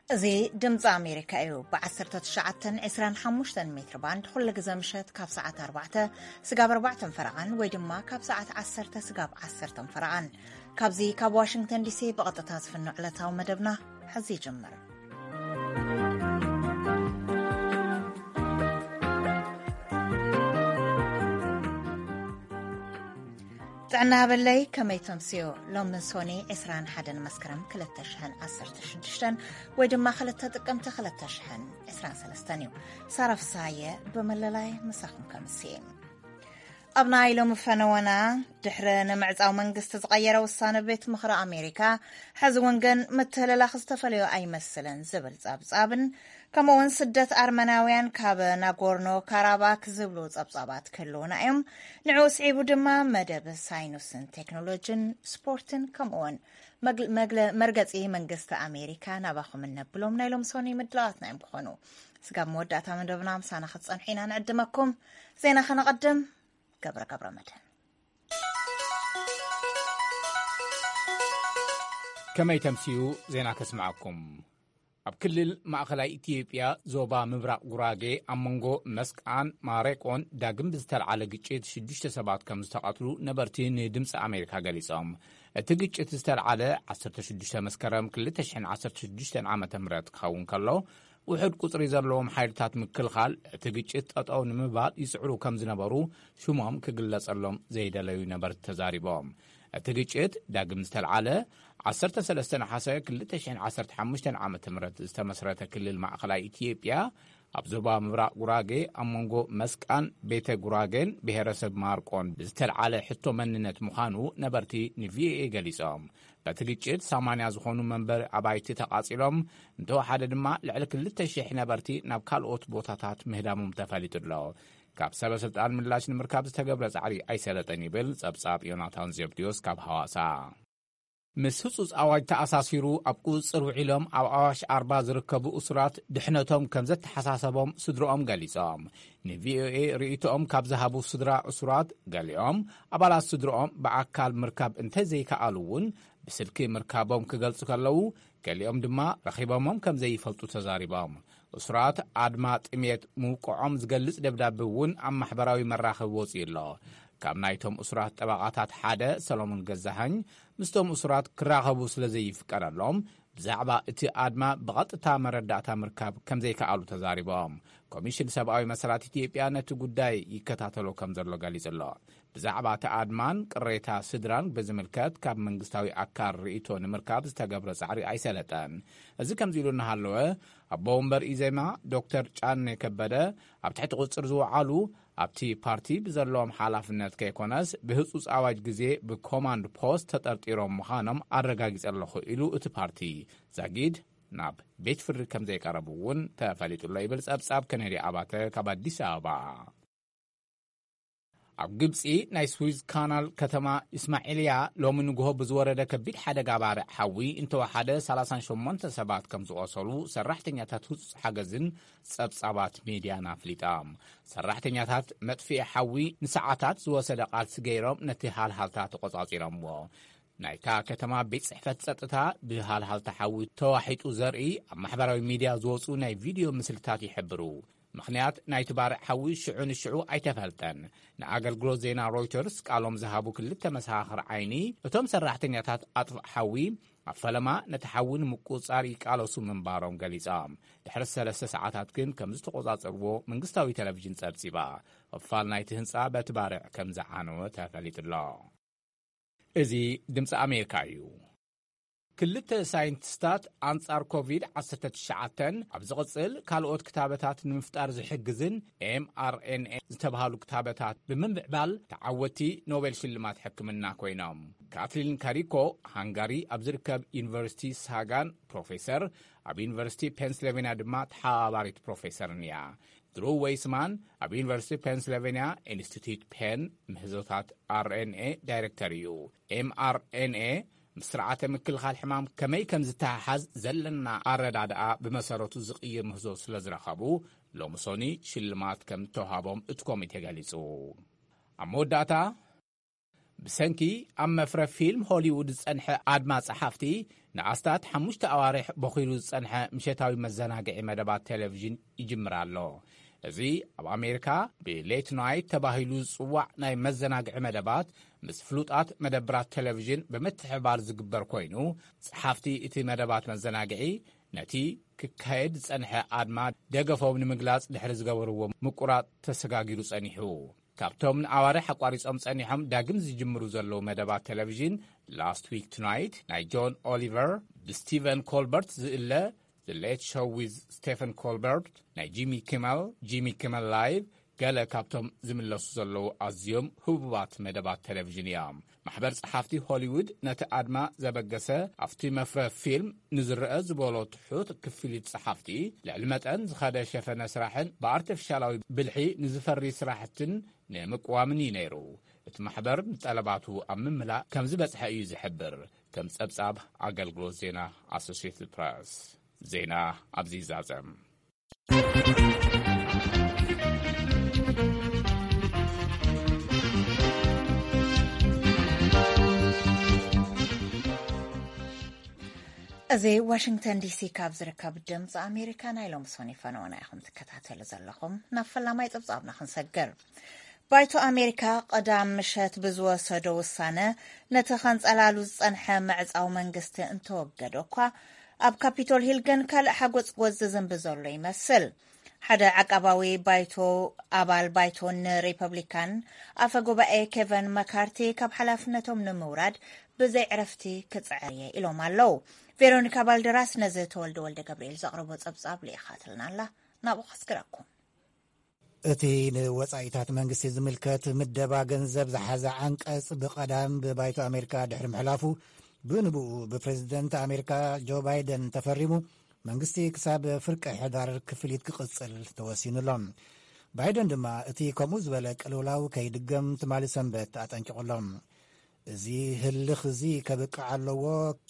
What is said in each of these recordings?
እዚ ድምፂ ኣሜሪካ እዩ። ብ19 25 ሜትር ባንድ ኩሉ ግዜ ምሸት ካብ ሰዓት ኣርባዕተ ስጋብ ኣርባዕተን ፈረቓን ወይ ድማ ካብ ሰዓት ዓሰርተ ስጋብ ዓሰርተን ፈረቓን፣ ካብዚ ካብ ዋሽንግተን ዲሲ ብቐጥታ ዝፍኖ ዕለታዊ መደብና ሕዚ ይጅምር። ጥዕና በለይ፣ ከመይ ተምስዮ? ሎሚ ሶኒ 21 መስከረም 2016 ወይ ድማ 2 ጥቅምቲ 2023 እዩ። ሳራ ፍሳየ ብመለላይ ምሳኹም ከምስየ። ኣብ ናይ ሎሚ ፈነወና፣ ድሕሪ ንምዕጻው መንግስቲ ዝቐየረ ውሳነ ቤት ምኽሪ ኣሜሪካ፣ ሕዚ እውን ግን ምትህልላኽ ዝተፈለዮ ኣይመስልን ዝብል ጸብጻብን፣ ከምኡውን ስደት ኣርመናውያን ካብ ናጎርኖ ካራባክ ዝብሉ ጸብጻባት ክህልውና እዮም። ንዕኡ ስዒቡ ድማ መደብ ሳይንስን ቴክኖሎጂን፣ ስፖርትን ከምኡውን መግል- መግለ- መርገጺ መንግስቲ ኣሜሪካ ናባኹም እነብሎም ናይ ሎም ሶኒ ምድላዋትና እዮም ክኾኑ። ስጋብ መወዳእታ መደብና ምሳና ክትጸንሑ ኢና ንዕድመኩም። ዜና ከነቐድም። ገብረ ገብረ መድህን። ከመይ ተምስዩ? ዜና ከስምዓኩም። ኣብ ክልል ማእኸላይ ኢትዮጵያ ዞባ ምብራቕ ጉራጌ ኣብ መንጎ መስቃን ማሬቆን ዳግም ብዝተልዓለ ግጭት ሽዱሽተ ሰባት ከም ዝተቐትሉ ነበርቲ ንድምፂ ኣሜሪካ ገሊጾም። እቲ ግጭት ዝተልዓለ 16 መስከረም 2016 ዓ ም ክኸውን ከሎ፣ ውሑድ ቁፅሪ ዘለዎም ሓይልታት ምክልኻል እቲ ግጭት ጠጠው ንምባል ይፅዕሩ ከም ዝነበሩ ሽሞም ክግለጸሎም ዘይደለዩ ነበርቲ ተዛሪቦም። እቲ ግጭት ዳግም ዝተልዓለ 13 ነሓሰ 2015 ዓ ም ዝተመስረተ ክልል ማእኸላይ ኢትዮጵያ ኣብ ዞባ ምብራቕ ጉራጌ ኣብ መንጎ መስቃን ቤተ ጉራጌን ብሄረሰብ ማርቆን ብዝተልዓለ ሕቶ መንነት ምዃኑ ነበርቲ ንቪኦኤ ገሊጾም። በቲ ግጭት 80 ዝኾኑ መንበሪ ኣባይቲ ተቓጺሎም፣ እንተወሓደ ድማ ልዕሊ 2,000 ነበርቲ ናብ ካልኦት ቦታታት ምህዳሞም ተፈሊጡ ኣሎ። ካብ ሰበ ስልጣን ምላሽ ንምርካብ ዝተገብረ ጻዕሪ ኣይሰለጠን ይብል ጸብጻብ ዮናታን ዘብድዮስ ካብ ሃዋሳ። ምስ ህጹጽ ኣዋጅ ተኣሳሲሩ ኣብ ቁጽጽር ውዒሎም ኣብ ኣዋሽ ኣርባ ዝርከቡ እሱራት ድሕነቶም ከም ዘተሓሳሰቦም ስድሮኦም ገሊጾም። ንቪኦኤ ርእይቶኦም ካብ ዝሃቡ ስድራ እሱራት ገሊኦም ኣባላት ስድሮኦም ብኣካል ምርካብ እንተዘይከኣሉ እውን ብስልኪ ምርካቦም ክገልጹ ከለዉ፣ ገሊኦም ድማ ረኺቦሞም ከም ዘይፈልጡ ተዛሪቦም። እሱራት ኣድማ ጥሜት ምውቅዖም ዝገልጽ ደብዳቤ እውን ኣብ ማሕበራዊ መራኸቢ ወጺኡ ኣሎ። ካብ ናይቶም እሱራት ጠበቓታት ሓደ ሰሎሞን ገዛሃኝ ምስቶም እሱራት ክራኸቡ ስለ ዘይፍቀደሎም ብዛዕባ እቲ ኣድማ ብቐጥታ መረዳእታ ምርካብ ከም ዘይከኣሉ ተዛሪቦም። ኮሚሽን ሰብኣዊ መሰላት ኢትዮጵያ ነቲ ጉዳይ ይከታተሎ ከም ዘሎ ገሊጹ ኣሎ። ብዛዕባ እቲ ኣድማን ቅሬታ ስድራን ብዝምልከት ካብ መንግስታዊ ኣካል ርእይቶ ንምርካብ ዝተገብረ ጻዕሪ ኣይሰለጠን። እዚ ከምዚ ኢሉ እናሃለወ፣ ኣቦ ወንበር ኢዜማ ዶክተር ጫኔ ከበደ ኣብ ትሕቲ ቁጽር ዝወዓሉ ኣብቲ ፓርቲ ብዘለዎም ሓላፍነት ከይኮነስ ብህጹጽ ኣዋጅ ግዜ ብኮማንድ ፖስት ተጠርጢሮም ምዃኖም ኣረጋጊጸ ኣለኹ ኢሉ እቲ ፓርቲ። ዛጊድ ናብ ቤት ፍርዲ ከም ዘይቀረቡ እውን ተፈሊጡ ኣሎ ይብል ጸብጻብ ከነዲ ኣባተ ካብ ኣዲስ ኣበባ። ኣብ ግብጺ ናይ ስዊዝ ካናል ከተማ ኢስማዒልያ ሎሚ ንግሆ ብዝወረደ ከቢድ ሓደጋ ባርዕ ሓዊ እንተወሓደ 38 ሰባት ከም ዝቖሰሉ ሰራሕተኛታት ህጹጽ ሓገዝን ጸብጻባት ሚድያን ኣፍሊጣ። ሰራሕተኛታት መጥፍኢ ሓዊ ንሰዓታት ዝወሰደ ቃልሲ ገይሮም ነቲ ሃልሃልታ ተቖጻጺሮምዎ። ናይታ ከተማ ቤት ጽሕፈት ጸጥታ ብሃልሃልታ ሓዊ ተዋሒጡ ዘርኢ ኣብ ማሕበራዊ ሚድያ ዝወጹ ናይ ቪድዮ ምስልታት ይሕብሩ። ምኽንያት ናይቲ ባርዕ ሓዊ ሽዑ ንሽዑ ኣይተፈልጠን። ንኣገልግሎት ዜና ሮይተርስ ቃሎም ዝሃቡ ክልተ መሰኻኽር ዓይኒ፣ እቶም ሰራሕተኛታት ኣጥፍእ ሓዊ ኣብ ፈለማ ነቲ ሓዊ ንምቁጽጻር ይቃለሱ ምንባሮም ገሊጾም። ድሕሪ ሰለስተ ሰዓታት ግን ከም ዝተቆጻጸርዎ መንግስታዊ ቴሌቪዥን ጸብጺባ። ክፋል ናይቲ ህንጻ በቲ ባርዕ ከም ዝዓነወ ተፈሊጡ ኣሎ። እዚ ድምፂ ኣሜሪካ እዩ። ክልተ ሳይንቲስታት ኣንጻር ኮቪድ-19 ኣብ ዝቕጽል ካልኦት ክታበታት ንምፍጣር ዝሕግዝን ኤም ኣር ኤን ኤ ዝተባህሉ ክታበታት ብምምዕባል ተዓወቲ ኖቤል ሽልማት ሕክምና ኮይኖም። ካትሊን ካሪኮ ሃንጋሪ ኣብ ዝርከብ ዩኒቨርሲቲ ሳጋን ፕሮፌሰር፣ ኣብ ዩኒቨርሲቲ ፔንስልቬንያ ድማ ተሓባባሪት ፕሮፌሰርን እያ። ድሩ ዌይስማን ኣብ ዩኒቨርሲቲ ፔንስልቬንያ ኢንስቲትዩት ፔን ምህዞታት ኣር ኤን ኤ ዳይሬክተር እዩ። ኤም ኣር ኤን ኤ ምስ ስርዓተ ምክልኻል ሕማም ከመይ ከም ዝተሓሓዝ ዘለና ኣረዳድኣ ብመሰረቱ ዝቕይር ምህዞ ስለ ዝረኸቡ፣ ሎሚ ሶኒ ሽልማት ከም እተዋሃቦም እቲ ኮሚቴ ገሊጹ። ኣብ መወዳእታ፣ ብሰንኪ ኣብ መፍረ ፊልም ሆሊውድ ዝጸንሐ ኣድማ ጸሓፍቲ፣ ንኣስታት ሓሙሽተ ኣዋርሕ በኺሉ ዝጸንሐ ምሸታዊ መዘናግዒ መደባት ቴሌቪዥን ይጅምር ኣሎ። እዚ ኣብ ኣሜሪካ ብሌት ናይት ተባሂሉ ዝጽዋዕ ናይ መዘናግዒ መደባት ምስ ፍሉጣት መደብራት ቴሌቪዥን ብምትሕብባር ዝግበር ኮይኑ፣ ጸሓፍቲ እቲ መደባት መዘናግዒ ነቲ ክካየድ ዝጸንሐ ኣድማ ደገፎም ንምግላጽ ድሕሪ ዝገበርዎ ምቁራጽ ተሰጋጊሩ ጸኒሑ። ካብቶም ንኣዋርሕ ኣቋሪጾም ጸኒሖም ዳግም ዝጅምሩ ዘለዉ መደባት ቴሌቪዥን፣ ላስት ዊክ ቱናይት ናይ ጆን ኦሊቨር፣ ብስቲቨን ኮልበርት ዝእለ፣ The Late Show with Stephen Colbert፣ ናይ ጂሚ ኪመል፣ ጂሚ ኪመል ላይቭ፣ ገለ ካብቶም ዝምለሱ ዘለዉ ኣዝዮም ህቡባት መደባት ቴሌቪዥን እዮም። ማሕበር ጸሓፍቲ ሆሊውድ ነቲ ኣድማ ዘበገሰ፣ ኣብቲ መፍረ ፊልም ንዝረአ ዝበሎ ትሑት ክፍሊት ጸሓፍቲ፣ ልዕሊ መጠን ዝኸደ ሸፈነ ስራሕን ብኣርቲፊሻላዊ ብልሒ ንዝፈሪ ስራሕትን ንምቅዋምን እዩ ነይሩ። እቲ ማሕበር ንጠለባቱ ኣብ ምምላእ ከም ዝበጽሐ እዩ ዝሕብር፣ ከም ጸብጻብ ኣገልግሎት ዜና ኣሶሲየትድ ፕረስ። ዜና ኣብዚ ይዛዘም። እዚ ዋሽንግተን ዲሲ ካብ ዝርከብ ድምፂ ኣሜሪካ ናይ ሎሚ ሰኑይ ፈነወና ኢኹም ትከታተሉ ዘለኹም። ናብ ፈላማይ ጸብጻብና ክንሰግር። ባይቶ ኣሜሪካ ቀዳም ምሸት ብዝወሰዶ ውሳነ ነቲ ከንጸላሉ ዝጸንሐ ምዕጻው መንግስቲ እንተወገዶ እኳ፣ ኣብ ካፒቶል ሂል ግን ካልእ ሓጎጽጎጽ ዝዝንቢ ዘሎ ይመስል። ሓደ ዓቃባዊ ባይቶ ኣባል ባይቶ ንሪፐብሊካን ኣፈ ጉባኤ ኬቨን መካርቲ ካብ ሓላፍነቶም ንምውራድ ብዘይ ዕረፍቲ ክጽዕር እየ ኢሎም ኣለዉ። ቬሮኒካ ባልደራስ ነዚ ተወልደ ወልደ ገብርኤል ዘቕረቦ ጸብጻብ ልኢኻትልና ኣላ። ናብኡ ከስግረኩም። እቲ ንወጻኢታት መንግስቲ ዝምልከት ምደባ ገንዘብ ዝሓዘ ዓንቀጽ ብቐዳም ብባይቶ ኣሜሪካ ድሕሪ ምሕላፉ፣ ብንብኡ ብፕሬዝደንት ኣሜሪካ ጆ ባይደን ተፈሪሙ፣ መንግስቲ ክሳብ ፍርቂ ሕዳር ክፍሊት ክቕጽል ተወሲኑ ኣሎ። ባይደን ድማ እቲ ከምኡ ዝበለ ቅልውላው ከይድገም ትማሊ ሰንበት ኣጠንቂቑ ኣሎ። እዚ ህልኽ እዚ ከብቅዕ ኣለዎ፣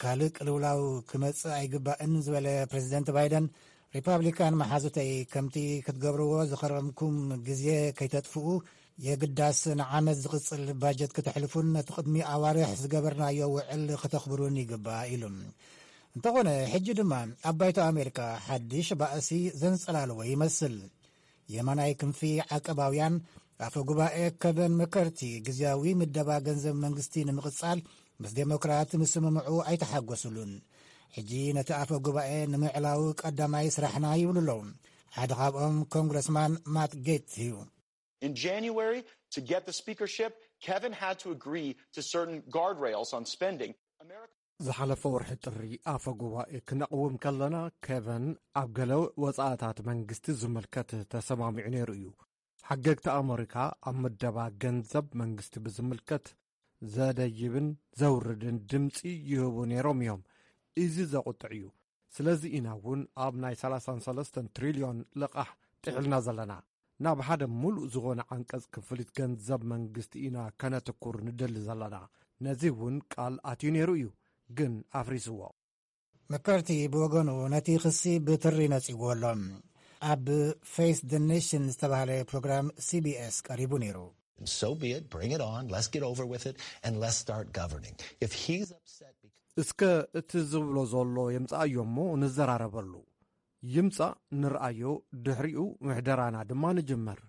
ካልእ ቅልውላው ክመጽእ ኣይግባእን ዝበለ ፕሬዝደንት ባይደን፣ ሪፓብሊካን መሓዙተይ ከምቲ ክትገብርዎ ዝኸረምኩም ግዜ ከይተጥፍኡ፣ የግዳስ ንዓመት ዝቕጽል ባጀት ክተሕልፉን ነቲ ቅድሚ ኣዋርሕ ዝገበርናዮ ውዕል ክተኽብሩን ይግባእ ኢሉ። እንተኾነ፣ ሕጂ ድማ ኣብ ባይቶ ኣሜሪካ ሓድሽ ባእሲ ዘንጸላልዎ ይመስል። የማናይ ክንፊ ዓቀባውያን ኣፈ ጉባኤ ከቨን መከርቲ ግዝያዊ ምደባ ገንዘብ መንግስቲ ንምቕጻል ምስ ዴሞክራት ምስምምዑ ኣይተሓጎስሉን። ሕጂ ነቲ ኣፈ ጉባኤ ንምዕላው ቀዳማይ ስራሕና ይብሉ ኣለዉ። ሓደ ካብኦም ኮንግረስማን ማት ጌትስ እዩ። In January, to get the speakership, Kevin had to agree to certain guardrails on spending. America ዝሓለፈ ወርሒ ጥሪ ኣፈ ጉባኤ ክነቕውም ከለና፣ ኬቨን ኣብ ገለ ወጻእታት መንግስቲ ዝምልከት ተሰማሚዑ ነይሩ እዩ። ሓገግቲ ኣመሪካ ኣብ ምደባ ገንዘብ መንግስቲ ብዝምልከት ዘደይብን ዘውርድን ድምጺ ይህቡ ነይሮም እዮም። እዚ ዘቑጥዕ እዩ። ስለዚ ኢና እውን ኣብ ናይ ሰላሳን ሰለስተን ትሪልዮን ልቓሕ ጥሒልና ዘለና። ናብ ሓደ ምሉእ ዝኾነ ዓንቀጽ ክፍሊት ገንዘብ መንግስቲ ኢና ከነትኩር ንደሊ ዘለና። ነዚ እውን ቃል ኣትዩ ነይሩ እዩ፣ ግን ኣፍሪስዎ። መከርቲ ብወገኑ ነቲ ክሲ ብትሪ ነጺግዎ ኣሎ። ኣብ ፌስ ደ ኔሽን ዝተባህለ ፕሮግራም ሲቢኤስ ቀሪቡ ነይሩ። So be it, bring it on, let's get over with it, and let's start governing. If he's upset because እስከ እቲ ዝብሎ ዘሎ የምጽኣዮ እሞ ንዘራረበሉ። ይምጻእ፣ ንርኣዮ፣ ድሕሪኡ ምሕደራና ድማ ንጅምር።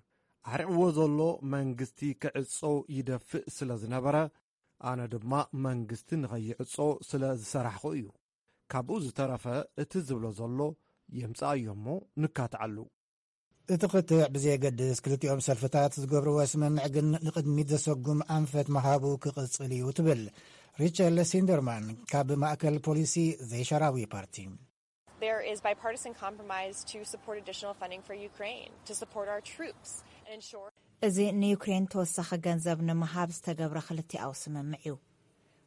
ኣሕሪቕዎ ዘሎ መንግስቲ ክዕጾ ይደፍእ ስለ ዝነበረ፣ ኣነ ድማ መንግስቲ ንኸይዕጾ ስለ ዝሰራሕኹ እዩ። ካብኡ ዝተረፈ እቲ ዝብሎ ዘሎ የምጽኣዮ እሞ ንካትዓሉ። እቲ ክትዕ ብዘየገድስ፣ ክልቲኦም ሰልፍታት ዝገብርዎ ስምምዕ ግን ንቕድሚት ዘሰጉም ኣንፈት ምሃቡ ክቕጽል እዩ ትብል ሪቸል ሲንደርማን ካብ ማእከል ፖሊሲ ዘይሻራዊ ፓርቲ። There is bipartisan compromise to support additional funding for Ukraine, to support our troops, and ensure እዚ ንዩክሬን ተወሳኺ ገንዘብ ንምሃብ ዝተገብረ ክልቲኣዊ ስምምዕ እዩ።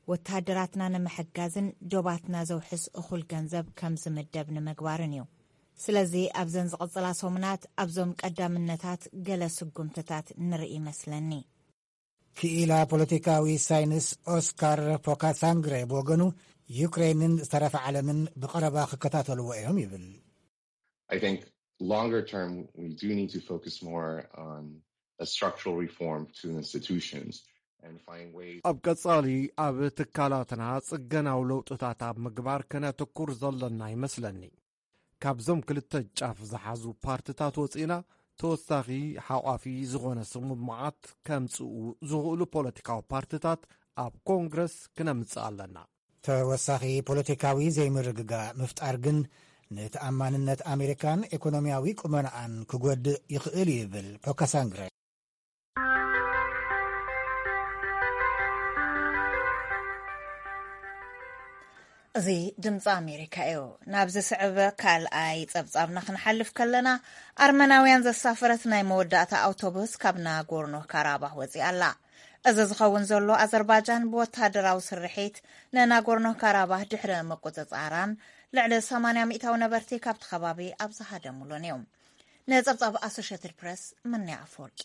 ወተሃደራትና ንምሕጋዝን ዶባትና ዘውሕስ እኹል ገንዘብ ከም ዝምደብ ንምግባርን እዩ። ስለዚ ኣብዘን ዝቕጽላ ሰሙናት ኣብዞም ቀዳምነታት ገለ ስጉምትታት ንርኢ ይመስለኒ። ክኢላ ፖለቲካዊ ሳይንስ ኦስካር ፖካሳንግረ ብወገኑ፣ ዩክሬንን ዝተረፈ ዓለምን ብቐረባ ክከታተልዎ እዮም ይብል። I think longer term, we do need to focus more on a structural reform to institutions. ኣብ ቀጻሊ ኣብ ትካላትና ጽገናዊ ለውጥታት ኣብ ምግባር ከነትኩር ዘለና ይመስለኒ። ካብዞም ክልተ ጫፍ ዝሓዙ ፓርትታት ወጺእና፣ ተወሳኺ ሓቋፊ ዝኾነ ስምምዓት ከምጽኡ ዝኽእሉ ፖለቲካዊ ፓርትታት ኣብ ኮንግረስ ክነምጽእ ኣለና። ተወሳኺ ፖለቲካዊ ዘይምርግጋእ ምፍጣር ግን ንተኣማንነት ኣሜሪካን ኢኮኖሚያዊ ቁመናኣን ክጎድእ ይኽእል እዩ ይብል ፖካሳንግረ። እዚ ድምፂ ኣሜሪካ እዩ። ናብ ዝስዕብ ካልኣይ ጸብጻብና ክንሓልፍ ከለና፣ ኣርመናውያን ዘሳፈረት ናይ መወዳእታ ኣውቶቡስ ካብ ናጎርኖ ካራባህ ወፂኣ ኣላ። እዚ ዝኸውን ዘሎ፣ ኣዘርባጃን ብወተሃደራዊ ስርሒት ንናጎርኖ ካራባህ ድሕሪ ምቁጽጻራን፣ ልዕሊ ሰማንያ ሚእታዊ ነበርቲ ካብቲ ከባቢ ኣብ ዝሃደሙሉን እዩ። ንጸብጻብ ኣሶሽየትድ ፕረስ፣ ምንያ ኣፈወርቂ።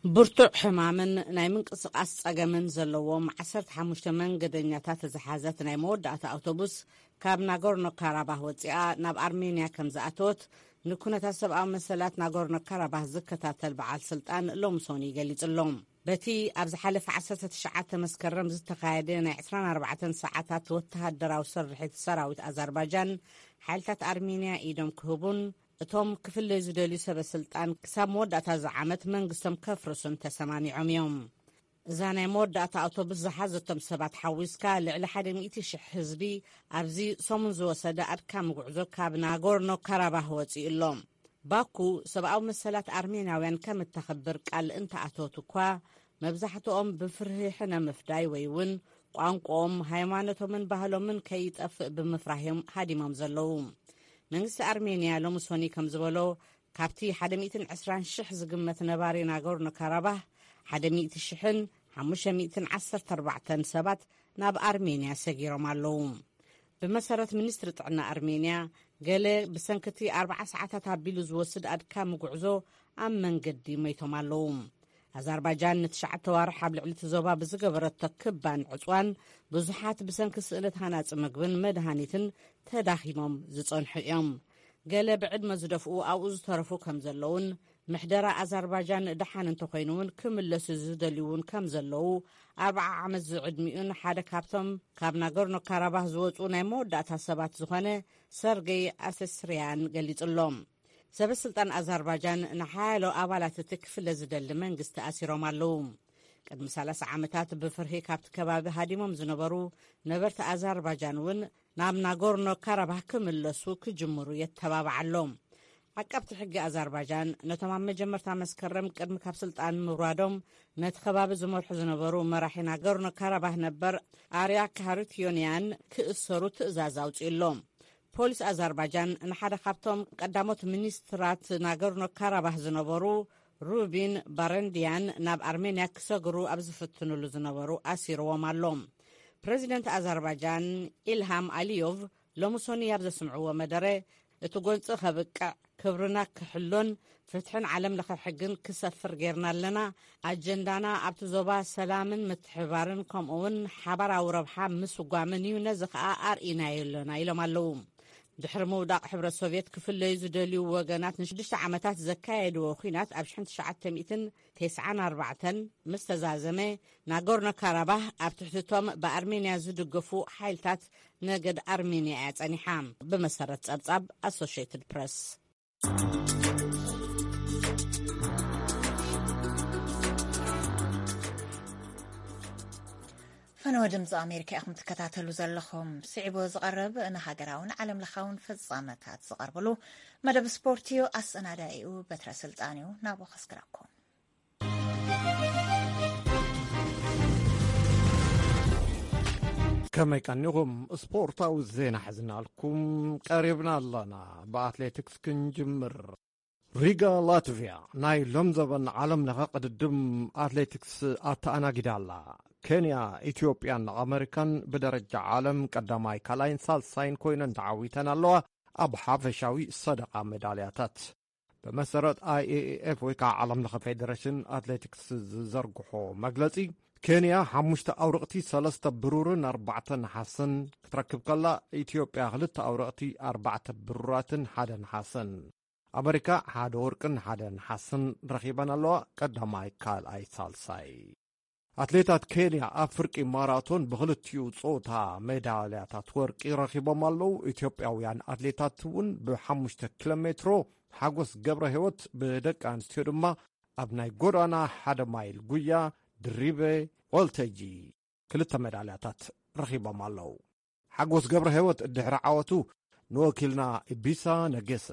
ብርቱዕ ሕማምን ናይ ምንቅስቓስ ጸገምን ዘለዎም ዓሰርተ ሓሙሽተ መንገደኛታት ዝሓዘት ናይ መወዳእታ ኣውቶቡስ ካብ ናጎርኖ ካራባህ ወጺኣ ናብ ኣርሜንያ ከም ዝኣተወት ንኩነታት ሰብኣዊ መሰላት ናጎርኖ ካራባህ ዝከታተል በዓል ስልጣን ሎምሶኒ ገሊጹ ኣሎ። በቲ ኣብ ዝሓለፈ ዓሰርተ ትሽዓተ መስከረም ዝተኻየደ ናይ ዕስራን ኣርባዕተን ሰዓታት ወተሃደራዊ ስርሒት ሰራዊት ኣዘርባጃን ሓይልታት ኣርሜንያ ኢዶም ክህቡን እቶም ክፍለዩ ዝደልዩ ሰበ ስልጣን ክሳብ መወዳእታ እዚ ዓመት መንግስቶም ከፍርሱን ተሰማሚዖም እዮም። እዛ ናይ መወዳእታ ኣውቶቡስ ዝሓዘቶም ሰባት ሓዊስካ ልዕሊ ሓደ ሚእቲ ሽሕ ህዝቢ ኣብዚ ሰሙን ዝወሰደ ኣድካሚ ጉዕዞ ካብ ናጎርኖ ካራባህ ወፂኡ ኣሎ። ባኩ ሰብኣዊ መሰላት ኣርሜናውያን ከም እተኽብር ቃል እንተኣተወት እኳ፣ መብዛሕትኦም ብፍርሂ ሕነ ምፍዳይ ወይ እውን ቋንቋኦም፣ ሃይማኖቶምን ባህሎምን ከይጠፍእ ብምፍራህ እዮም ሃዲሞም ዘለዉ። መንግስቲ ኣርሜንያ ሎሚ ሶኒ ከም ዝበሎ፣ ካብቲ ሓደ ሚእትን ዕስራን ሽሕ ዝግመት ነባሪ ናጎርኖ ካራባህ፣ ሓደ ሚእቲ ሽሕን ሓሙሽተ ሚእትን ዓሰርተ ኣርባዕተን ሰባት ናብ ኣርሜንያ ሰጊሮም ኣለዉ። ብመሰረት ሚኒስትሪ ጥዕና ኣርሜንያ፣ ገለ ብሰንክቲ ኣርብዓ ሰዓታት ኣቢሉ ዝወስድ ኣድካሚ ጉዕዞ ኣብ መንገዲ ሞይቶም ኣለዉ። ኣዘርባጃን ንትሽዓተ ዋርሕ ኣብ ልዕሊ እቲ ዞባ ብዝገበረቶ ክባን ዕጽዋን፣ ብዙሓት ብሰንኪ ስእነት ሃናጺ ምግብን መድሃኒትን ተዳኺሞም ዝጸንሑ እዮም። ገለ ብዕድመ ዝደፍኡ ኣብኡ ዝተረፉ ከም ዘለውን፣ ምሕደራ ኣዘርባጃን ደሓን እንተኾይኑ እውን ክምለሱ ዝደልዩ እውን ከም ዘለዉ፣ ኣርብዓ ዓመት ዝዕድሚኡን ሓደ ካብቶም ካብ ናጎርኖ ካራባህ ዝወጹ ናይ መወዳእታ ሰባት ዝኾነ ሰርጌይ ኣሰስርያን ገሊጹ ኣሎ። ሰበ ስልጣን ኣዘርባጃን ንሓያሎ ኣባላት እቲ ክፍለ ዝደሊ መንግስቲ ኣሲሮም ኣለዉ። ቅድሚ ሰላሳ ዓመታት ብፍርሂ ካብቲ ከባቢ ሃዲሞም ዝነበሩ ነበርቲ ኣዘርባጃን እውን ናብ ናጎርኖ ካራባህ ክምለሱ ክጅምሩ የተባብዓ ኣሎ። ዓቃብቲ ሕጊ ኣዘርባጃን ነቶም ኣብ መጀመርታ መስከረም ቅድሚ ካብ ስልጣን ምውራዶም ነቲ ከባቢ ዝመርሑ ዝነበሩ መራሒ ናጎርኖ ካራባህ ነበር ኣርያ ካሃሩትዮንያን ክእሰሩ ትእዛዝ ኣውጺኡ ኣሎ። ፖሊስ ኣዘርባጃን ንሓደ ካብቶም ቀዳሞት ሚኒስትራት ናጎርኖ ካራባህ ዝነበሩ ሩቢን ባረንድያን ናብ ኣርሜንያ ክሰግሩ ኣብ ዝፍትኑሉ ዝነበሩ ኣሲርዎም ኣሎ። ፕረዚደንት ኣዘርባጃን ኢልሃም ኣሊዮቭ ሎሚ ሶኒ ኣብ ዘስምዕዎ መደረ፣ እቲ ጎንፂ ከብቅዕ፣ ክብርና ክሕሎን ፍትሕን ዓለም ለኸ ሕግን ክሰፍር ጌርና ኣለና። ኣጀንዳና ኣብቲ ዞባ ሰላምን ምትሕባርን ከምኡ እውን ሓባራዊ ረብሓ ምስጓምን እዩ፣ ነዚ ኸኣ ኣርኢናዮ ኣለና ኢሎም ኣለዉ። ድሕሪ ምውዳቕ ሕብረት ሶቭየት ክፍለዩ ዝደልዩ ወገናት ንሽዱሽተ ዓመታት ዘካየድዎ ኲናት ኣብ ሽሕን ትሽዓተ ሚእትን ተስዓን ኣርባዕተን ምስ ተዛዘመ፣ ናጎርኖ ካራባህ ኣብ ትሕቲ እቶም ብኣርሜንያ ዝድገፉ ሓይልታት ነገድ ኣርሜንያ እያ ጸኒሓ፣ ብመሰረት ጸብጻብ ኣሶሽየትድ ፕረስ። ፈነወ ድምፂ ኣሜሪካ ኢኹም ትከታተሉ ዘለኹም። ስዒቡ ዝቐርብ ንሃገራውን ዓለም ለኻውን ፍጻመታት ዝቐርብሉ መደብ ስፖርት እዩ። ኣሰናዳኢኡ በትረ ስልጣን እዩ። ናብኡ ከስግረኩም። ከመይ ቀኒኹም? ስፖርታዊ ዜና ሒዝናልኩም ቀሪብና ኣለና። ብኣትሌቲክስ ክንጅምር። ሪጋ፣ ላትቪያ፣ ናይ ሎም ዘበን ዓለም ለኸ ቅድድም ኣትሌቲክስ ኣተኣናጊዳ ኣላ። ኬንያ፣ ኢትዮጵያን ኣመሪካን ብደረጃ ዓለም ቀዳማይ፣ ካልኣይን ሳልሳይን ኮይነን ተዓዊተን ኣለዋ፣ ኣብ ሓፈሻዊ ሰደቓ ሜዳልያታት። ብመሰረት ኣይ ኤ ኤ ኤፍ ወይ ከዓ ዓለም ለኸ ፌዴሬሽን ኣትሌቲክስ ዝዘርግሖ መግለጺ፣ ኬንያ ሓሙሽተ ኣውርቕቲ፣ ሰለስተ ብሩርን ኣርባዕተ ነሓስን ክትረክብ ከላ፣ ኢትዮጵያ ክልተ ኣውርቕቲ፣ ኣርባዕተ ብሩራትን ሓደ ነሓስን። ኣመሪካ ሓደ ወርቅን ሓደ ነሓስን ረኺበን ኣለዋ፣ ቀዳማይ፣ ካልኣይ፣ ሳልሳይ። ኣትሌታት ኬንያ ኣብ ፍርቂ ማራቶን ብኽልቲኡ ጾታ ሜዳልያታት ወርቂ ረኺቦም ኣለዉ። ኢትዮጵያውያን ኣትሌታት እውን ብሓሙሽተ ኪሎ ሜትሮ ሓጎስ ገብረ ህይወት፣ ብደቂ ኣንስትዮ ድማ ኣብ ናይ ጎዳና ሓደ ማይል ጉያ ድሪበ ወልተጂ ክልተ ሜዳልያታት ረኺቦም ኣለዉ። ሓጎስ ገብረ ህይወት ድሕሪ ዓወቱ ንወኪልና ኢቢሳ ነገሰ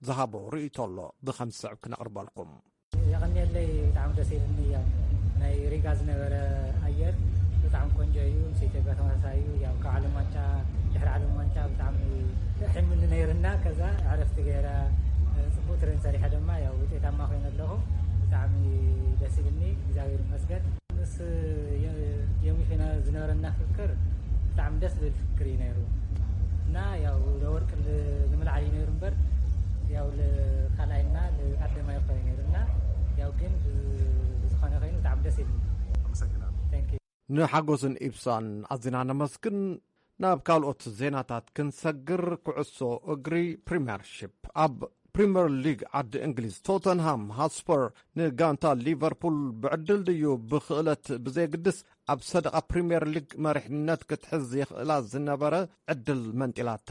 ዝሃቦ ርእይቶ ኣሎ፣ ብኸም ዝስዕብ ክነቕርበልኩም። የቐንየለይ፣ ብጣዕሚ ደስ ኢልኒ። ያው ናይ ሪጋ ዝነበረ ኣየር ብጣዕሚ ቆንጆ እዩ። ምስ ኢትዮጵያ ተመሳሳይ እዩ። ያው ካብ ዓለም ዋንጫ፣ ድሕሪ ዓለም ዋንጫ ብጣዕሚ ጥሒሙኒ ነይርና፣ ከዛ ዕረፍቲ ገይረ፣ እ፣ ጽቡቅ ትሬን ሰሪሐ ድማ ያው ውጤታማ ኮይነ ኣለኹ። ብጣዕሚ ደስ ኢልኒ፣ እግዚኣብሔር ይመስገን። ምስ የ-፣ ዮሚፍ ዝነበረና ፍክክር ብጣዕሚ ደስ ዝብል ፍክክር እዩ ነይሩ እና ያው ለወርቅ ል-፣ ንምልዓል እዩ ነይሩ እምበር ያው ልኻልኣይና ልቀዳማይ ኮይኑ ነይሩ እና ያው ግን ብ-፣ ብዝኾነ ኮይኑ ብጣዕሚ ደስ ኢልኒ። ኣመሰግናለሁ። Thank you። ንሓጎስን ኢብሳን ኣዚና ነመስግን። ናብ ካልኦት ዜናታት ክንሰግር፣ ኩዕሶ እግሪ ፕሪምየርሺፕ። ኣብ ፕሪምየር ሊግ ዓዲ እንግሊዝ፣ ቶተንሃም ሃትስፐር ንጋንታ ሊቨርፑል ብዕድል ድዩ ብኽእለት ብዘየግድስ ኣብ ሰደቓ ፕሪምየር ሊግ መሪሕነት ክትሕዝ የኽእላ ዝነበረ ዕድል መንጢላታ።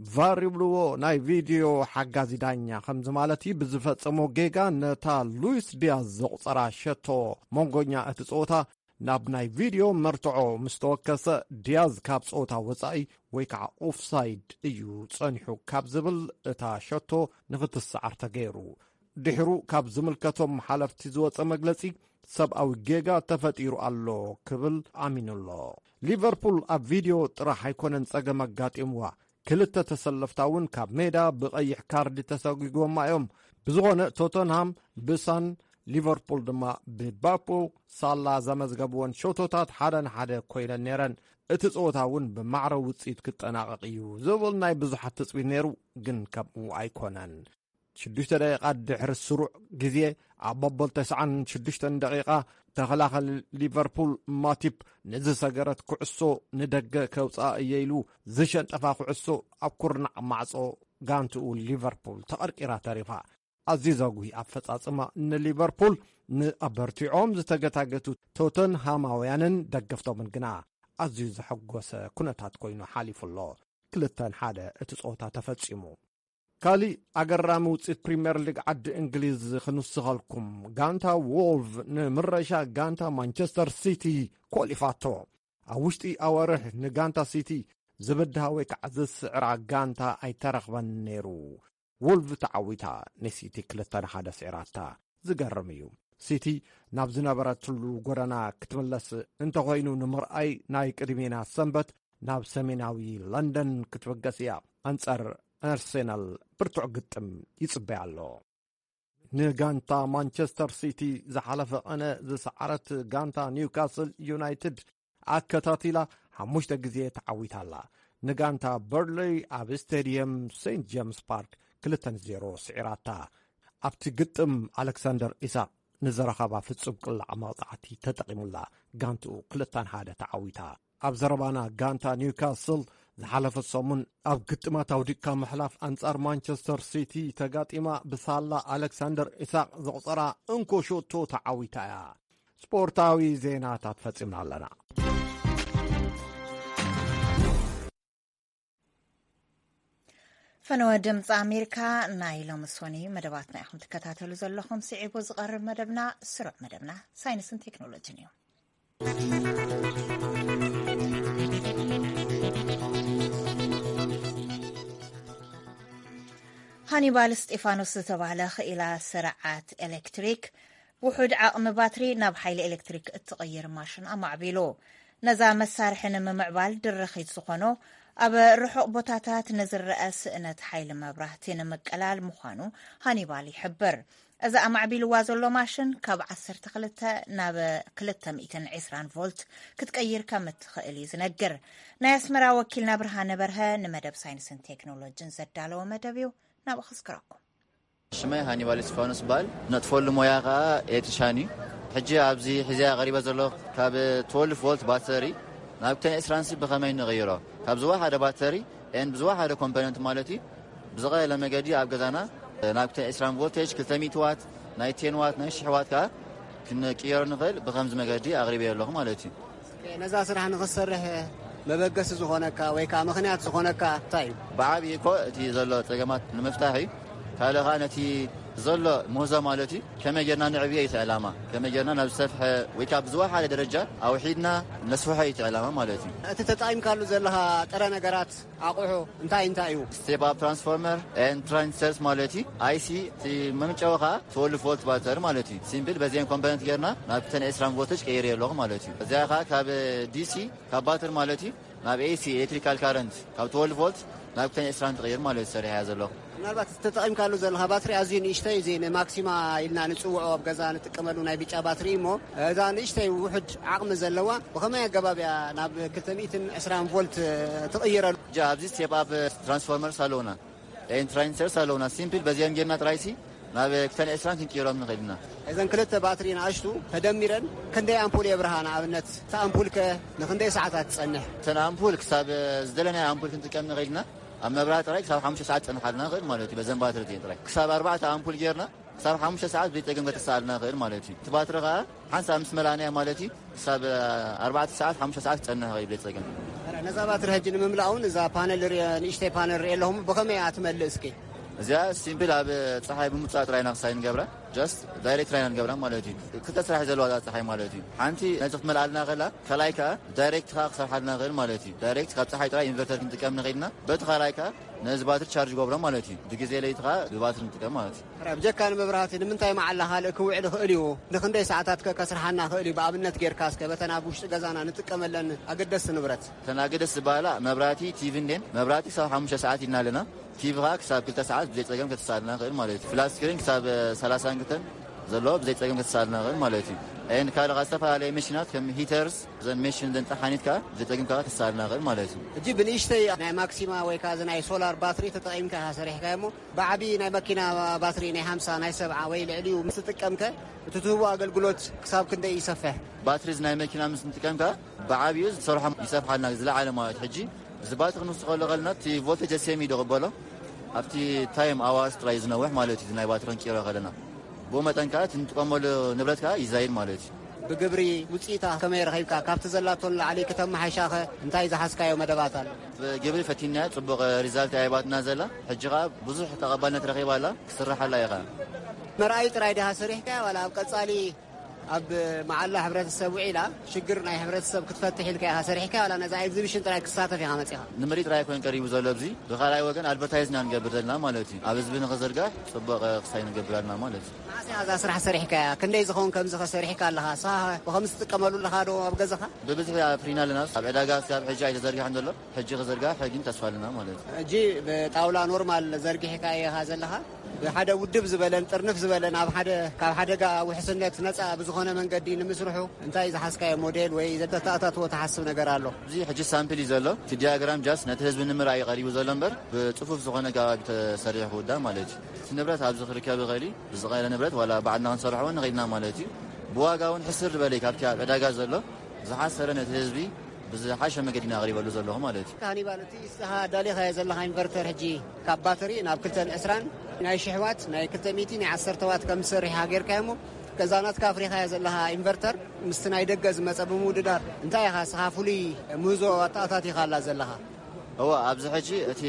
ቫር ይብልዎ ናይ ቪድዮ ሓጋዚ ዳኛ ከምዚ ማለት እዩ። ብዝፈጸሞ ጌጋ ነታ ሉዊስ ዲያዝ ዘቑጸራ ሸቶ መንጎኛ እቲ ጸወታ ናብ ናይ ቪድዮ መርትዖ ምስ ተወከሰ፣ ዲያዝ ካብ ጸወታ ወጻኢ ወይ ከዓ ኦፍሳይድ እዩ ጸኒሑ ካብ ዝብል እታ ሸቶ ንኽትሰዓር ተገይሩ። ድሕሩ ካብ ዝምልከቶም ሓለፍቲ ዝወጸ መግለጺ፣ ሰብኣዊ ጌጋ ተፈጢሩ ኣሎ ክብል ኣሚኑ ኣሎ። ሊቨርፑል ኣብ ቪድዮ ጥራሕ ኣይኮነን ጸገም ኣጋጢምዋ፣ ክልተ ተሰለፍታ እውን ካብ ሜዳ ብቐይሕ ካርድ ተሰጒጎማ እዮም። ብዝኾነ ቶተንሃም ብሳን፣ ሊቨርፑል ድማ ብባፖ ሳላ ዘመዝገብወን ሸቶታት ሓደ ንሓደ ኮይነን ነይረን። እቲ ጸወታ እውን ብማዕረ ውጽኢት ክጠናቐቕ እዩ ዝብል ናይ ብዙሓት ትጽቢት ነይሩ፣ ግን ከምኡ ኣይኮነን። ሽዱሽተ ደቂቓ ድሕሪ ስሩዕ ግዜ፣ ኣብ መበል ተስዓን ሽዱሽተን ደቂቓ፣ ተኸላኸሊ ሊቨርፑል ማቲፕ ንዝሰገረት ኩዕሶ ንደገ ከውጽኣ እየ ኢሉ ዝሸንጠፋ ኩዕሶ ኣብ ኩርናዕ ማዕጾ ጋንትኡ ሊቨርፑል ተቐርቂራ ተሪፋ። ኣዝዩ ዘጉሂ ኣፈጻጽማ ንሊቨርፑል፣ ንኣበርቲዖም ዝተገታገቱ ቶተንሃማውያንን ደገፍቶምን ግና ኣዝዩ ዘሐጎሰ ኩነታት ኮይኑ ሓሊፉ ኣሎ። ክልተ ንሓደ እቲ ጸወታ ተፈጺሙ። ካሊእ ኣገራሚ ውጽኢት ፕሪምየር ሊግ ዓዲ እንግሊዝ ክንውስኸልኩም፣ ጋንታ ዎልቭ ንምረሻ ጋንታ ማንቸስተር ሲቲ ኮሊፋቶ። ኣብ ውሽጢ ኣዋርሕ ንጋንታ ሲቲ ዝብድሃ ወይ ከዓ ዝስዕራ ጋንታ ኣይተረኽበን ነይሩ። ዎልቭ ተዓዊታ፣ ንሲቲ ክልተ ንሓደ ስዒራታ። ዝገርም እዩ። ሲቲ ናብ ዝነበረትሉ ጎደና ክትምለስ እንተኾይኑ ንምርኣይ ናይ ቅድሜና ሰንበት ናብ ሰሜናዊ ለንደን ክትብገስ እያ። ኣንጻር ኣርሴናል ብርቱዕ ግጥም ይጽበያ ኣሎ። ንጋንታ ማንቸስተር ሲቲ ዝሓለፈ ቀነ ዝሰዓረት ጋንታ ኒውካስል ዩናይትድ ኣከታቲላ ሓሙሽተ ግዜ ተዓዊታ ኣላ። ንጋንታ በርንለይ ኣብ ስቴድየም ሴንት ጀምስ ፓርክ ክልተ ንዜሮ ስዒራታ። ኣብቲ ግጥም ኣሌክሳንደር ኢሳቅ ንዝረኸባ ፍጹም ቅላዕ መቕጻዕቲ ተጠቒሙላ፣ ጋንትኡ ክልተ ንሓደ ተዓዊታ። ኣብ ዘረባና፣ ጋንታ ኒውካስል ዝሓለፈ ሰሙን ኣብ ግጥማት ኣውዲቕካ ምሕላፍ ኣንጻር ማንቸስተር ሲቲ ተጋጢማ ብሳላ ኣሌክሳንደር ኢሳቅ ዘቑጸራ እንኮ ሸቶ ተዓዊታ እያ። ስፖርታዊ ዜናታት ፈጺምና ኣለና። ፈነወ ድምፂ ኣሜሪካ፣ ናይ ሎሚ ሶኒ መደባትና ኢኹም ትከታተሉ ዘለኹም። ስዒቡ ዝቐርብ መደብና ስሩዕ መደብና ሳይንስን ቴክኖሎጂን እዩ። ሃኒባል እስጢፋኖስ ዝተባህለ ክኢላ ስርዓት ኤሌክትሪክ፣ ውሑድ ዓቕሚ ባትሪ ናብ ሓይሊ ኤሌክትሪክ እትቕይር ማሽን ኣማዕቢሉ። ነዛ መሳርሒ ንምምዕባል ድርኺት ዝኾኖ፣ ኣብ ርሑቕ ቦታታት ንዝረአ ስእነት ሓይሊ መብራህቲ ንምቅላል ምዃኑ ሃኒባል ይሕብር። እዚ ኣማዕቢልዋ ዘሎ ማሽን ካብ ዓሰርተ ክልተ ናብ ክልተ ሚእትን ዕስራን ቮልት ክትቀይር ከም እትኽእል እዩ ዝነግር። ናይ ኣስመራ ወኪልና ብርሃነ በርሀ ንመደብ ሳይንስን ቴክኖሎጂን ዘዳለወ መደብ እዩ። ናብኡ ከስክረኩም። ሽመይ ሃኒባል እስጢፋኖስ ይበሃል። ነጥፈሉ ሞያ ከኣ ኤሌክትሪሻን እዩ። ሕጂ ኣብዚ ሒዘያ ቀሪበ ዘለኹ ካብ ትወልፍ ቮልት ባተሪ ናብ ክልተ ሚእትን ዕስራን ሲ ብኸመይ ንቕይሮ? ካብ ዝወሓደ ባተሪ ኤን ብዝወሓደ ኮምፖነንት ማለት እዩ፣ ብዝቐለለ መገዲ ኣብ ገዛና ናብ ክልተ ሚእትን ዕስራን ቮልቴጅ፣ ክልተ ሚእቲ ዋት፣ ናይ ቴን ዋት፣ ናይ ሽሕ ዋት ከኣ ክንቅየሮ ንኽእል ብኸምዚ መገዲ ኣቕሪበዮ ኣለኹ ማለት እዩ። ነዛ ስራሕ ንኽትሰርሕ መበገሲ ዝኾነካ ወይ ከዓ ምኽንያት ዝኾነካ እንታይ እዩ? ብዓብዪ እኮ እቲ ዘሎ ፀገማት ንምፍታሕ እዩ። ካልእ ከዓ ነቲ ዘሎ ምህዞ ማለት እዩ ከመይ ጌርና ንዕብዮ እዩ እቲ ዕላማ። ከመይ ጌርና ናብ ዝሰፍሐ ወይ ከዓ ብዝወሓደ ደረጃ ኣውሒድና ነስፍሖ እዩ እቲ ዕላማ ማለት እዩ። እቲ ተጠቒምካሉ ዘለኻ ጥረ ነገራት ኣቑሑ እንታይ እንታይ እዩ? Step up transformer and transistors ማለት እዩ። I C እቲ መምጨዊ ከዓ ትወልፍ ቮልት ባተር ማለት እዩ። ሲምፕል በዚአን ኮምፖነንት ጌርና ናብ ክልተ ሚእቲ ዕስራን ቮልተጅ ቀይር ኣለኹ ማለት እዩ። እዚኣ ከዓ ካብ D C ካብ ባትር ማለት እዩ ናብ A C ኤሌክትሪካል ካረንት ካብ ትወልፍ ቮልት ናብ ክልተ ሚእቲ ዕስራን ትቕይር ማለት እዩ። ሰሪሐ እያ ዘለኹ። ምናልባት እቲ ተጠቒምካሉ ዘለኻ ባትሪ ኣዝዩ ንእሽተይ፣ እዚ ንማክሲማ ኢልና ንጽውዖ ኣብ ገዛ ንጥቀመሉ ናይ ብጫ ባትሪ እሞ፣ እዛ ንእሽተይ ውሑድ ዓቕሚ ዘለዋ ብኸመይ ኣገባብ እያ ናብ ክልተ ሚእትን ዕስራን ቮልት ትቕይረሉ? ጃ ኣብዚ ስቴፕ ኣፕ ትራንስፎርመርስ ኣለውና፣ ኤን ትራንስተርስ ኣለውና። ሲምፕል በዚኦም ጌርና ጥራይሲ ናብ ክልተ ሚእቲ ዕስራን ክንቅይሮም ንኽእል ኢና። እዘን ክልተ ባትሪ ንኣሽቱ ተደሚረን ክንደይ ኣምፑል የብርሃ? ንኣብነት እታ ኣምፑል ከ ንኽንደይ ሰዓታት ትጸንሕ? እተን ኣምፑል ክሳብ ዝደለናዮ ኣምፑል ክንጥቀም ንኽእል ኢና። ኣብ መብራህቲ ጥራይ ክሳብ ሓሙሽተ ሰዓት ትጸንሓልና ንኽእል ማለት እዩ። በዘን ባትሪ እዚአን ጥራይ ክሳብ ኣርባዕተ ኣምፑል ጌርና ክሳብ ሓሙሽተ ሰዓት ብዘይጸገም ከተሳኣልና ንኽእል ማለት እዩ። እቲ ባትሪ ኸኣ ሓንሳብ ምስ መላእናዮ ማለት እዩ ክሳብ ኣርባዕተ ሰዓት ሓሙሽተ ሰዓት ክጸንሕ ይኽእል ብዘይጸገም። ነዛ ባትሪ ሕጂ ንምምላእ እውን እዛ ፓነል ርእ- ንእሽተይ ፓነል ርእ ኣለኹም ብኸመይ እያ ትመልእ እስኪ? እዚኣ ሲምፕል ኣብ ጸሓይ ብምውጻእ ጥራይ ኢና ክሳይ ንገብራ። ጃስት ዳይሬክት ራይና ንገብራ ማለት እዩ። ክልተ ስራሕ እዩ ዘለዋ እዛ ፀሓይ ማለት እዩ። ሓንቲ ነዚ ክትመልኣልና ከላ፣ ካልኣይ ከዓ ዳይሬክት ከዓ ክሰርሓልና ይኽእል ማለት እዩ። ዳይሬክት ካብ ፀሓይ ጥራይ ኢንቨርተር ክንጥቀም ንኽእል ኢና። በቲ ካልኣይ ከዓ ነዚ ባትሪ ቻርጅ ገብሮ ማለት እዩ። ብግዜ ለይቲ ከዓ ብባትሪ ንጥቀም ማለት እዩ። ሕራይ፣ ብጀካ ንመብራህቲ ንምንታይ መዓላ ካልእ ክውዕል ይኽእል እዩ? ንኽንደይ ሰዓታት ከ ከስርሓና ይኽእል እዩ? ብኣብነት ጌርካ እስከ በተን ኣብ ውሽጢ ገዛና ንጥቀመለን ኣገደስቲ ንብረት። እተን ኣገደስቲ ዝበሃላ መብራህቲ፣ ቲቪ እንዴን መብራህቲ ክሳብ ሓሙሽተ ሰዓት ኢልና ኣለና። ቲቪ ከዓ ክሳብ ክልተ ሰዓት ብዘይ ፀገም ከተሳልና ይኽእል ማለት እዩ። ፍላት ስክሪን ክሳብ ሰላሳ እንክተን ዘለዎ ብዘይ ፀገም ከተሳልና ይኽእል ማለት እዩ። ኤንድ ካልእ ከዓ ዝተፈላለየ መሽናት ከም ሂተርስ፣ እዘን መሽን እዘን ጠሓኒት ከዓ ብዘይ ፀገም ከዓ ከተሳልና ይኽእል ማለት እዩ። ሕጂ ብንእሽተይ ናይ ማክሲማ ወይ ከዓ እዚ ናይ ሶላር ባትሪ ተጠቒምካ ኢኻ ሰሪሕካዮ እሞ ብዓብዪ ናይ መኪና ባትሪ ናይ ሓምሳ ናይ ሰብዓ ወይ ልዕሊኡ ምስ ትጥቀምከ እቲ ትህቦ ኣገልግሎት ክሳብ ክንደይ ይሰፍሕ? ባትሪ እዚ ናይ መኪና ምስ ንጥቀም ከዓ ብዓብዩ ዝሰርሖም ይሰፍሓልና ዝለዓለ ማለት ሕጂ እዚ ባትሪ ክንውስኸሉ ከለና እቲ ቮልቴጅ ሴሚ ዶ ቅበሎ ኣብቲ ታይም ኣዋርስ ጥራይ ዝነውሕ ማለት እዩ። ናይ ባትሪ ክንቅይሮ ከለና ብኡ መጠን ከዓ እቲ ንጥቀመሉ ንብረት ከዓ ይዛይድ ማለት እዩ። ብግብሪ ውፅኢታ ከመይ ረኺብካ? ካብቲ ዘላቶ ንላዕሊ ክተመሓይሻኸ እንታይ ዝሓዝካዮ መደባት ኣሎ? ብግብሪ ፈቲንያ ፅቡቕ ሪዛልት ኣይባትና ዘላ። ሕጂ ከዓ ብዙሕ ተቐባልነት ረኺባ ኣላ። ክስርሓላ ኢኻ። መርኣይ ጥራይ ዲኻ ሰሪሕካያ ዋላ ኣብ ቀፃሊ ኣብ መዓላ ሕብረተሰብ ውዒላ ሽግር ናይ ሕብረተሰብ ክትፈትሕ ኢልካ ኢኻ ሰሪሕካ ዋላ ነዛ ኤግዚቢሽን ጥራይ ክሳተፍ ኢኻ መፂኻ? ንምርኢት ጥራይ ኮይን ቀሪቡ ዘሎ ኣብዚ ብኻልኣይ ወገን ኣድቨርታይዝ ኢና ንገብር ዘለና ማለት እዩ። ኣብ ህዝቢ ንኽዝርጋሕ ፅቡቕ ክሳይ ንገብር ኣለና ማለት እዩ። መዓስ ኢኻ እዛ ስራሕ ሰሪሕካያ? ክንደይ ዝኸውን ከምዚ ከ ሰሪሕካ ኣለኻ? ንስኻ ብኸምዚ ትጥቀመሉ ኣለኻ ዶ ኣብ ገዛኻ? ብብዝሒ ኣፍሪና ኣለና። ኣብ ዕዳጋ እስካብ ሕጂ ኣይተዘርግሐን ዘሎ። ሕጂ ክዝርጋሕ ግን ተስፋ ኣለና ማለት እዩ። ሕጂ ብጣውላ ኖርማል ዘርጊሕካ ኢኻ ዘለኻ። ብሓደ ውድብ ዝበለን ጥርንፍ ዝበለን ኣብ ሓደ ካብ ሓደጋ ውሕስነት ነፃ ብዝኾነ መንገዲ ንምስርሑ እንታይ ዝሓዝካዮ ሞዴል ወይ ዘተተኣታትዎ ትሓስብ ነገር ኣሎ? እዚ ሕጂ ሳምፕል እዩ ዘሎ። እቲ ዲያግራም ጃስት ነቲ ህዝቢ ንምርኣይ እዩ ቀሪቡ ዘሎ እምበር ብፅፉፍ ዝኾነ ከባቢ ተሰሪሑ ክውዳእ ማለት እዩ። እቲ ንብረት ኣብዚ ክርከብ ይኽእል እዩ። ብዝቐየረ ንብረት ዋላ ባዕልና ክንሰርሖ እውን ንኽእል ኢና ማለት እዩ። ብዋጋ እውን ሕስር ዝበለ እዩ ካብቲ ኣብ ዕዳጋ ዘሎ። ዝሓሰረ ነቲ ህዝቢ ብዝሓሸ መገዲ ኢና ኣቕሪበሉ ዘለኹ ማለት እዩ። ሃኒባል፣ እቲ ንስኻ ኣዳሊኻዮ ዘለኻ ኢንቨርተር ሕጂ ካብ ባትሪ ናብ ክልተን ዕስራን ናይ ሽሕ ዋት፣ ናይ ክልተ ሚእቲ፣ ናይ ዓሰርተ ዋት ከም ዝሰርሕ ኢኻ ጌርካዮ እሞ፣ ከዛ ናትካ ኣፍሪኻዮ ዘለኻ ኢንቨርተር ምስቲ ናይ ደገ ዝመጸ ብምውድዳር እንታይ ኢኻ ንስኻ ፍሉይ ምህዞ ኣተኣታቲኻላ ዘለኻ? እወ፣ ኣብዚ ሕጂ እቲ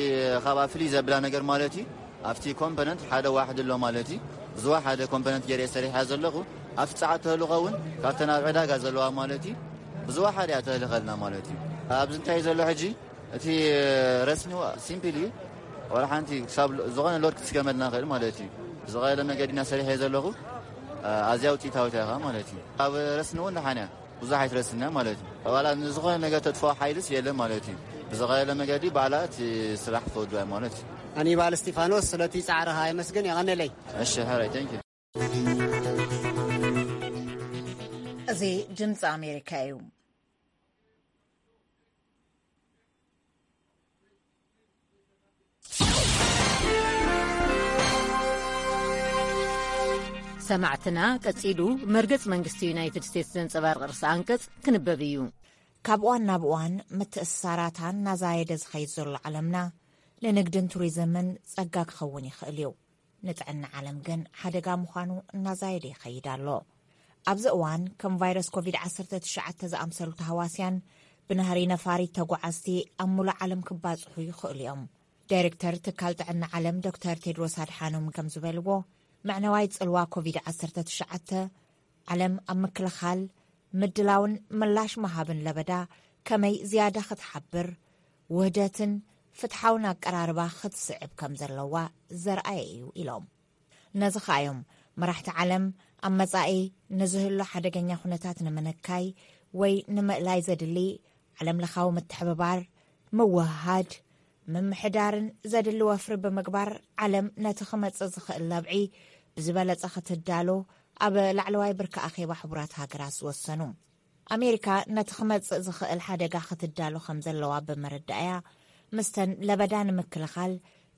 ካብኣ ፍልይ ዘብላ ነገር ማለት እዩ ኣብቲ ኮምፖነንት ሓደ ዋሕዲ ኣሎ ማለት እዩ። ብዝወሓደ ኮምፖነንት ገይረ እየ ሰሪሐ ዘለኹ። ኣብቲ ጸዓት ተህልኾ እውን ካብተን ኣብ ዕዳጋ ዘለዋ ማለት እዩ ብዝወሓደ እያ ተህልኸልና ማለት እዩ። ኣብዚ እንታይ እዩ ዘሎ ሕጂ እቲ ረስኒ ሲምፕል እዩ። ዋላ ሓንቲ ክሳብ ዝኾነ ሎድ ክትስከመልና ንኽእል ማለት እዩ። ብዝቐለለ መገዲ ኢና ሰሪሐ ዘለኹ። ኣዝያ ውፅኢታዊት እያ ማለት እዩ። ኣብ ረስኒ እውን ደሓን እያ። ብዙሕ ኣይትረስንያ ማለት እዩ። ዋላ ንዝኾነ ነገር ተጥፍኦ ሓይልስ የለን ማለት እዩ። ብዝቐለለ መገዲ ባዕላ እቲ ስራሕ ተወድኦ ማለት እዩ። ኣኒባል እስቲፋኖስ ስለቲ ጻዕርኻ የመስግን የቐንለይ። እሺ ሕራይ ቴንክ ዩ። እዚ ድምፂ ኣሜሪካ እዩ። ሰማዕትና ቀጺሉ መርገጽ መንግስቲ ዩናይትድ ስቴትስ ዘንጸባርቕ ርእሰ ኣንቀጽ ክንበብ እዩ። ካብ እዋን ናብ እዋን ምትእስሳራታ እናዛየደ ዝኸይድ ዘሎ ዓለምና፣ ንንግድን ቱሪዝምን ጸጋ ክኸውን ይኽእል እዩ። ንጥዕና ዓለም ግን ሓደጋ ምዃኑ እናዛየደ ይኸይድ ኣሎ። ኣብዚ እዋን ከም ቫይረስ ኮቪድ ዓሰርተ ትሽዓተ ዝኣምሰሉ ተሃዋስያን ብናህሪ ነፋሪት ተጓዓዝቲ ኣብ ሙሉእ ዓለም ክባጽሑ ይኽእሉ እዮም። ዳይሬክተር ትካል ጥዕና ዓለም ዶክተር ቴድሮስ ኣድሓኖም ከም ዝበልዎ፣ መዕነዋይ ጽልዋ ኮቪድ ዓሰርተ ትሽዓተ ዓለም ኣብ ምክልኻል፣ ምድላውን ምላሽ ምሃብን ለበዳ ከመይ ዝያዳ ክትሓብር፣ ውህደትን ፍትሓውን ኣቀራርባ ክትስዕብ ከም ዘለዋ ዘርኣየ እዩ ኢሎም። ነዚ ከኣ እዮም መራሕቲ ዓለም ኣብ መጻኢ ንዝህሉ ሓደገኛ ኩነታት ንምንካይ ወይ ንምእላይ ዘድሊ ዓለም ለኻዊ ምትሕብባር፣ ምውህሃድ፣ ምምሕዳርን ዘድሊ ወፍሪ ብምግባር ዓለም ነቲ ክመጽእ ዝኽእል ለብዒ ብዝበለጸ ክትዳሎ ኣብ ላዕለዋይ ብርኪ ኣኼባ ሕቡራት ሃገራት ዝወሰኑ። ኣሜሪካ ነቲ ክመጽእ ዝኽእል ሓደጋ ክትዳሎ ከም ዘለዋ ብምርዳእያ፣ ምስተን ለበዳ ንምክልኻል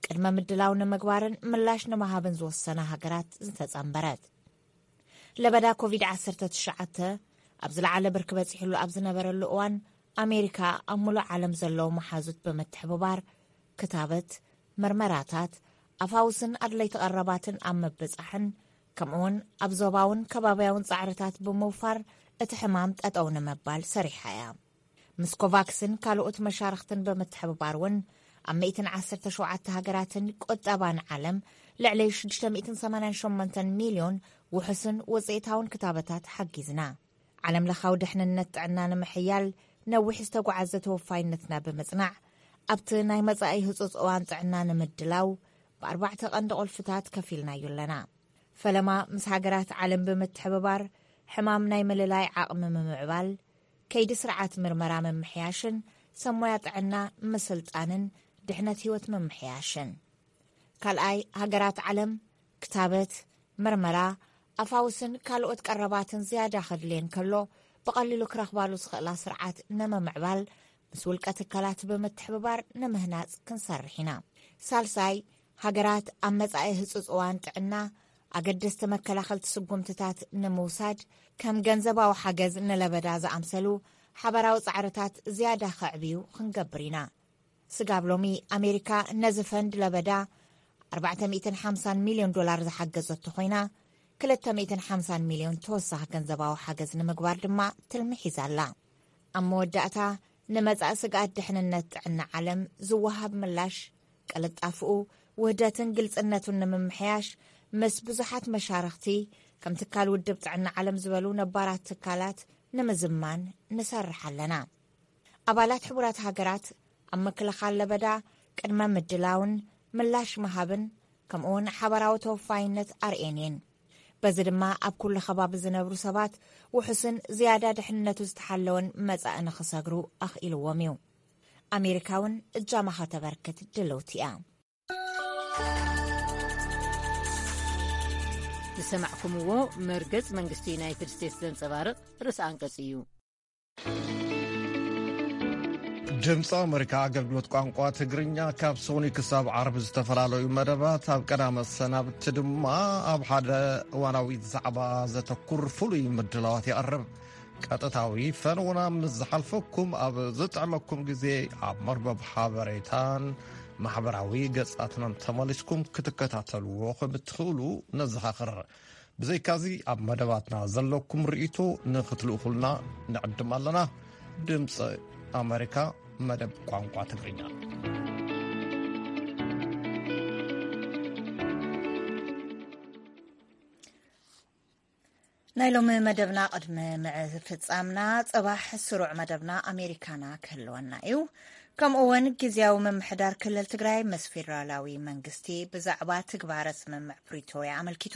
ቅድመ ምድላው ንምግባርን ምላሽ ንምሃብን ዝወሰና ሃገራት ዝተጸንበረት። ለበዳ ኮቪድ ዓሰርተ ትሽዓተ ኣብ ዝለዓለ ብርኪ በጺሕሉ ኣብ ዝነበረሉ እዋን፣ ኣሜሪካ ኣብ ሙሉእ ዓለም ዘለዉ መሓዙት ብምትሕብባር ክታበት፣ መርመራታት፣ ኣፋውስን ኣድለይቲ ቀረባትን ኣብ ምብጻሕን፣ ከምኡውን ኣብ ዞባውን ከባብያውን ጻዕርታት ብምውፋር እቲ ሕማም ጠጠው ንምባል ሰሪሓ እያ። ምስ ኮቫክስን ካልኦት መሻርኽትን ብምትሕብባር እውን ኣብ ሚእትን ዓሰርተ ሸውዓተ ሃገራትን ቁጠባን ዓለም ልዕሊ ሽዱሽተ ሚእትን ሰማንያን ሸሞንተን ሚልዮን ውሑስን ውጽኢታውን ክታበታት ሓጊዝና። ዓለም ለኻዊ ድሕንነት ጥዕና ንምሕያል ነዊሕ ዝተጓዓዘ ተወፋይነትና ብምጽናዕ፣ ኣብቲ ናይ መጻኢ ህጹጽ እዋን ጥዕና ንምድላው ብኣርባዕተ ቀንዲ ቁልፍታት ከፊልናዮ ኣለና። ፈለማ ምስ ሃገራት ዓለም ብምትሕብባር ሕማም ናይ ምልላይ ዓቕሚ ምምዕባል፣ ከይዲ ስርዓት ምርመራ ምምሕያሽን ሰብ ሞያ ጥዕና ምስልጣንን ድሕነት ህይወት ምምሕያሽን። ካልኣይ፣ ሃገራት ዓለም ክታበት፣ መርመራ፣ ኣፋውስን ካልኦት ቀረባትን ዝያዳ ከድልየን ከሎ ብቐሊሉ ክረኽባሉ ዝኽእላ ስርዓት ንምምዕባል ምስ ውልቀ ትካላት ብምትሕብባር ንምህናጽ ክንሰርሕ ኢና። ሳልሳይ፣ ሃገራት ኣብ መጻኢ ህጹጽ እዋን ጥዕና ኣገደስቲ መከላኸልቲ ስጉምትታት ንምውሳድ ከም ገንዘባዊ ሓገዝ ንለበዳ ዝኣምሰሉ ሓባራዊ ጻዕርታት ዝያዳ ከዕብዩ ክንገብር ኢና። ስጋብ ሎሚ ኣሜሪካ ነዚ ፈንድ ለበዳ ኣርባዕተ ሚእትን ሓምሳን ሚልዮን ዶላር ዝሓገዘቶ ኮይና፣ ክልተ ሚእትን ሓምሳን ሚልዮን ተወሳኺ ገንዘባዊ ሓገዝ ንምግባር ድማ ትልሚ ሒዛ ኣላ። ኣብ መወዳእታ፣ ንመጻኢ ስግኣት ድሕንነት ጥዕና ዓለም ዝወሃብ ምላሽ፣ ቅልጣፍኡ፣ ውህደትን ግልጽነቱን ንምምሕያሽ፣ ምስ ብዙሓት መሻርኽቲ፣ ከም ትካል ውድብ ጥዕና ዓለም ዝበሉ ነባራት ትካላት ንምዝማን ንሰርሕ ኣለና። ኣባላት ሕቡራት ሃገራት ኣብ ምክልኻል ለበዳ ቅድመ ምድላውን ምላሽ ምሃብን፣ ከምኡውን ሓባራዊ ተወፋይነት ኣርእየን እየን። በዚ ድማ ኣብ ኩሉ ከባቢ ዝነብሩ ሰባት ውሑስን ዝያዳ ድሕንነቱ ዝተሓለወን መጻኢ ንኽሰግሩ ኣኽኢልዎም እዩ። ኣሜሪካ እውን እጃማ ከተበርክት ድልውቲ እያ። ዝሰማዕኩምዎ መርገጽ መንግስቲ ዩናይትድ ስቴትስ ዘንጸባርቕ ርእሰ ኣንቀጽ እዩ። ድምፂ ኣመሪካ ኣገልግሎት ቋንቋ ትግርኛ ካብ ሶኒ ክሳብ ዓርቢ ዝተፈላለዩ መደባት፣ ኣብ ቀዳመ ሰናብቲ ድማ ኣብ ሓደ እዋናዊ ዛዕባ ዘተኩር ፍሉይ ምድላዋት የቕርብ። ቀጥታዊ ፈነውና ምስ ዝሓልፈኩም፣ ኣብ ዝጥዕመኩም ግዜ ኣብ መርበብ ሓበሬታን ማሕበራዊ ገጻትናን ተመሊስኩም ክትከታተልዎ ከም እትኽእሉ ነዘኻኽር። ብዘይካዚ፣ ኣብ መደባትና ዘለኩም ርእይቶ ንኽትልእኹልና ንዕድም ኣለና። ድምፂ ኣመሪካ፣ መደብ ቋንቋ ትግርኛ። ናይ ሎሚ መደብና ቅድሚ ምፍጻምና፣ ጽባሕ ስሩዕ መደብና ኣሜሪካና ክህልወና እዩ። ከምኡ እውን ግዝያዊ ምምሕዳር ክልል ትግራይ ምስ ፌደራላዊ መንግስቲ ብዛዕባ ትግባረ ስምምዕ ፕሪቶርያ ኣመልኪቱ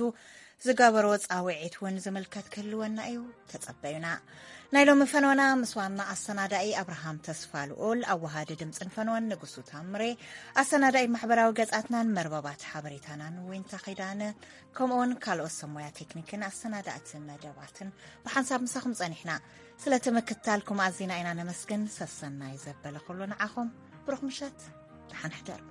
ዝገበሮ ጻውዒት እውን ዝምልከት ክህልወና እዩ። ተጸበዩና። ናይ ሎሚ ፈነወና ምስ ዋና ኣሰናዳኢ ኣብርሃም ተስፋ ልኡል፣ ኣወሃዲ ድምፅን ፈነወን ንጉሱ ታምሬ፣ ኣሰናዳኢ ማሕበራዊ ገጻትናን መርበባት ሓበሬታናን ዊንታ ኺዳነ፣ ከምኡውን ካልኦት ሰብ ሞያ ቴክኒክን ኣሰናዳእቲ መደባትን ብሓንሳብ ምሳኹም ጸኒሕና። ስለቲ ምክትታልኩም ኣዚና ኢና ነመስግን። ሰሰናይ ዘበለ ኩሉ ንዓኹም። ብሩኽ ምሸት። ደሓን ሕደር።